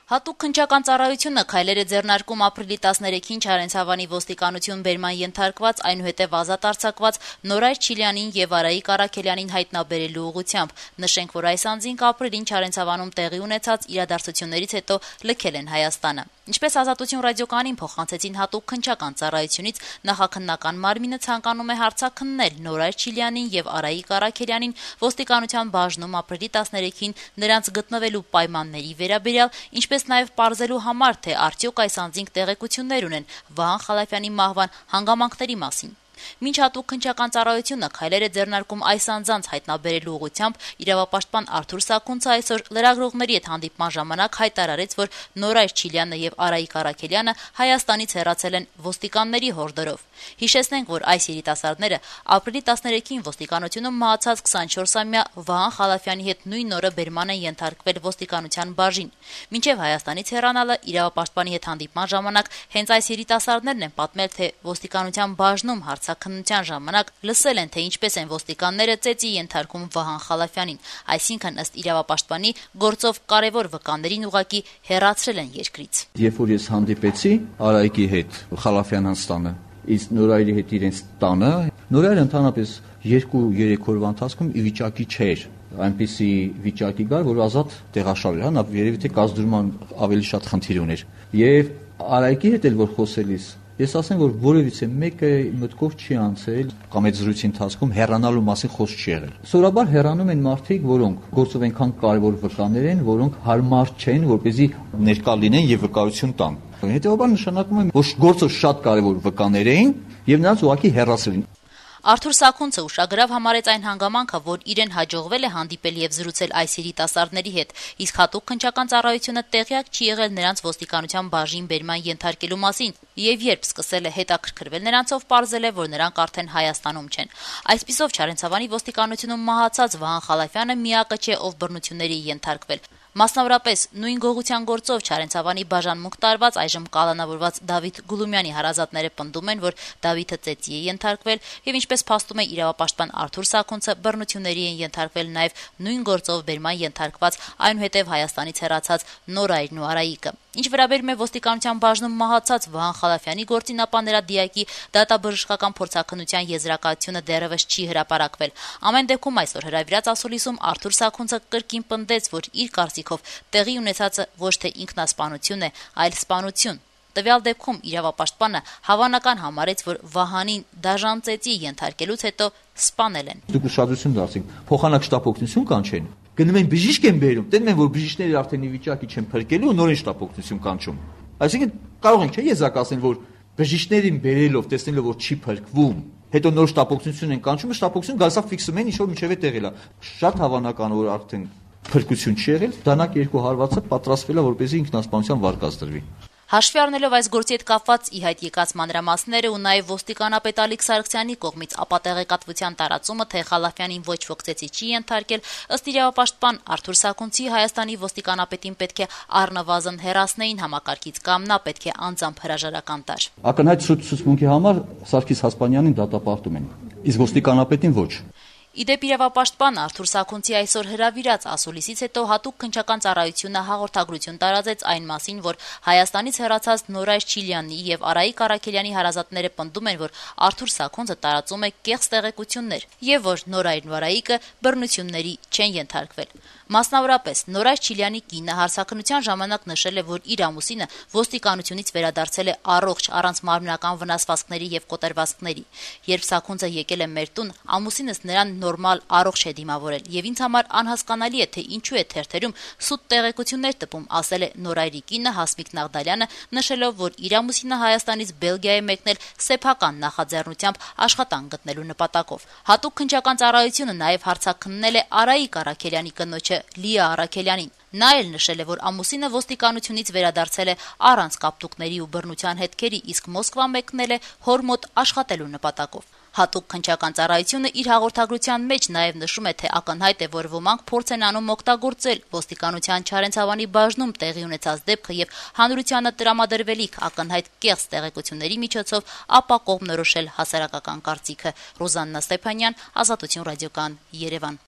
Հատուկ քննչական ծառայությունը քայլեր է ձեռնարկում ապրիլի 13-ին Չարենցավանի ոստիկանություն բերման ենթարկված, այնուհետև ազատ արձակված Նորայր Չիլյանին եւ Արայիկ Առաքելյանին հայտնաբերելու ուղղությամբ։ Նշենք, որ այս անձինք ապրիլին Չարենցավանում տեղի ունեցած իրադարձություններից հետո լքել են Հայաստանը։ Ինչպես Ազատություն ռադիոկայանին փոխանցեցին հատուկ քննչական ծառայությունից, նախաքննական մարմինը ցանկանում է հարցաքննել Նորայր Չիլյանին եւ Արայիկ Առաքելյանին ոստիկանության բաժնում ապրիլի 13-ին նրանց գտնվելու պայմանների վերաբերյալ, ինչպես նաև պարզելու համար, թե արդյոք այս անձինք տեղեկություններ ունեն Վահան Խալափյանի մահվան հանգամանքների մասին։ Մինչ հատուկ քննչական ծառայությունը քայլեր է ձեռնարկում այս անձանց հայտնաբերելու ուղղությամբ, իրավապաշտպան Արթուր Սաքունցը այսօր լրագրողների հետ հանդիպման ժամանակ հայտարարեց, որ Նորայր Չիլյանը եւ Արայիկ Առաքելյանը Հայաստանից հեռացել են ոստիկանների հորդորով։ Հիշեցնենք, որ այս երիտասարդները ապրիլի 13-ին ոստիկանությունում մահացած 24-ամյա Վահան Խալափյանի հետ նույն օրը բերման են ենթարկվել ոստիկանության բաժին։ Մինչև Հայաստանից հեռանալը իրավապաշտպանի հետ հանդիպման ժամանակ հենց այս երիտասարդներն են պատմել, թե ոստիկանության բաժնում հարցաքննության ժամանակ լսել են, թե ինչպես են ոստիկանները ծեծի ենթարկում Վահան Խալափյանին, այսինքն ըստ իրավապաշտպանի գործով կարևոր վկաներին ուղղակի հեռացրել են երկրից։ Երբ որ ես հանդիպեցի Արայիկի հետ Խալափյան Հանստանը, իսկ Նորայրի հետ իրենց տանը, Նորայրը ընդհանրապես 2-3 օրվա ընթացքում ի վիճակի չէր, այնպիսի վիճակի գար, որ ազատ տեղաշարժ, նա երևի թե կազդուրման ավելի շատ խնդիր ուներ։ Եվ Արայիկի հետ էլ որ խոսելիս, ես ասեմ, որ որևիցե մեկը մտքով չի անցել կամ այդ զրույցի ընթացքում հեռանալու մասին խոսք չի եղել։ Սովորաբար հեռանում են մարդիկ, որոնք գործով այնքան կարևոր վկաներ են, որոնք հարմար չեն, որպեսզի ներկա լինեն եւ վկայություն տան։ Հետևաբար նշանակում է, որ գործով շատ կարևոր վկաներ էին եւ նրանց ուղղակի հեռացրել են։ Արթուր Սաքունցը ուշագրավ համարեց այն հանգամանքը, որ իրեն հաջողվել է հանդիպել եւ զրուցել այս երիտասարդների հետ, իսկ հատուկ քննչական ծառայությունը տեղյակ չի եղել նրանց ոստիկանության բաժին բերման ենթարկելու մասին, եւ երբ սկսել է հետաքրքրվել նրանցով, պարզել է, որ նրանք արդեն Հայաստանում չեն։ Այսպիսով Չարենցավանի ոստիկանությունում մահացած Վահան Խալափյանը միակը չէ, ով բռնությունների ենթարկվել։ Մասնավորապես նույն գողության գործով Չարենցավանի բաժանմունք տարված այժմ կալանավորված Դավիթ Գուլումյանի հարազատները պնդում են, որ Դավիթը ծեծի է ենթարկվել եւ ինչպես փաստում է իրավապաշտպան Արթուր Սաքունցը, բռնությունների են ենթարկվել նաեւ նույն գործով բերման ենթարկված այնուհետև Հայաստանից հեռացած Նորայրն ու Արայիկը։ Ինչ վերաբերում է ոստիկանության բաժնում մահացած Վահան Խալափյանի գործին, ապա նրա դիակի դատաբժշկական փորձաքննության եզրակացությունը դեռևս չի հրապարակվել։ Ամեն դեպքում այսօր հրավիրած ասուլիսում Արթուր Սաքունցը կրկին պնդեց, որ իր կարծիքով տեղի ունեցածը ոչ թե ինքնասպանություն է, այլ սպանություն։ Տվյալ դեպքում իրավապաշտպանը հավանական համարեց, որ Վահանին դաժան ծեծի ենթարկելուց հետո սպանել են։ Դուք ուշադրություն դարձրիք, փոխանակ շտապօգնություն կանչեն։ Գնում են բժիշկ են բերում, տենում են, որ բժիշկները արդեն ի վիճակի չեն փրկելու ու նորեն շտապօգնություն կանչում։ Այսինքն կարող ենք եզրակացնել, որ բժիշկներին բերելով, տեսնելով, որ չի փրկվում, հետո նոր շտապօգնություն են կանչում, շտապօգնություն գալսա ֆիքսում են, ինչ որ մինչև է տեղել է։ Շատ հավանական որ արդեն փրկություն չի եղել, դանակ երկու հարվածը պատրաստվել է, որպեսզի ինքնասպանության վարկած դրվի։ Հաշվի առնելով այս գործի հետ կապված ի հայտ եկած մանրամասները ու նաև ոստիկանապետ Ալիկ Սարգսյանի կողմից ապատեղեկատվության տարածումը, թե Խալափյանին ոչ ոք ծեծի չի ենթարկել, ըստ իրավապաշտպան Արթուր Սաքունցի Հայաստանի ոստիկանապետին պետք է առնվազն հեռացնեին համակարգից կամ նա պետք է անձամբ հրաժարական տար։ Ակնհայտ ցուցմունքի համար Սարգիս Հասպանյանին դատապարտում են, իսկ ոստիկանապետին ոչ։ Իդեպ իրավապաշտպան Արթուր Սաքունցի այսօր հրավիրած ասուլիսից հետո հատուկ քննչական ծառայությունը հաղորդագրություն տարածեց այն մասին, որ Հայաստանից հեռացած Նորայր Չիլյանի եւ Արայիկ Առաքելյանի հարազատները պնդում են, որ Արթուր Սաքունցը տարածում է կեղծ տեղեկություններ եւ որ Նորայրն ու Արայիկը բռնությունների չեն ենթարկվել։ Մասնավորապես Նորայր Չիլյանի կինը հարցաքննության ժամանակ նշել է, որ իր ամուսինը ոստիկանությունից վերադարձել է առողջ, առանց մարմնական վնասվածքների եւ կոտրվածքների։ Երբ Սաքունցը եկել է մեր տուն, ամուսինս նրան նորմալ առողջ է դիմավորել եւ ինձ համար անհասկանալի է, թե ինչու է թերթերում սուտ տեղեկություններ տպում, ասել է Նորայրի կինը Հասմիկ Նաղդալյանը, նշելով, որ իր ամուսինը Հայաստանից Բելգիա է մեկնել սեփական նախաձեռնությամբ աշխատանք գտնելու նպատակով։ Հատուկ քննչական ծառայությունը նաեւ հարցաքննել է Արայիկ Առաքելյանի կնոջը Լիա Առաքելյանին։ Նա էլ նշել է, որ ամուսինը ոստիկանությունից վերադարձել է առանց կապտուկների ու բռնության հետքերի, իսկ Մոսկվա մեկնել է հոր մոտ աշխատելու նպատակով։ Հատուկ քննչական ծառայությունը իր հաղորդագրության մեջ նաև նշում է, թե ակնհայտ է, որ ոմանք փորձ են անում օգտագործել ոստիկանության Չարենցավանի բաժնում տեղի ունեցած դեպքը եւ հանրությանը տրամադրվելիք ակնհայտ կեղծ տեղեկությունների միջոցով ապա կողմնորոշել հասարակական կարծիքը։ Ռուզաննա Ստեփանյան, Ազատություն ռադիոկայան, Երևան։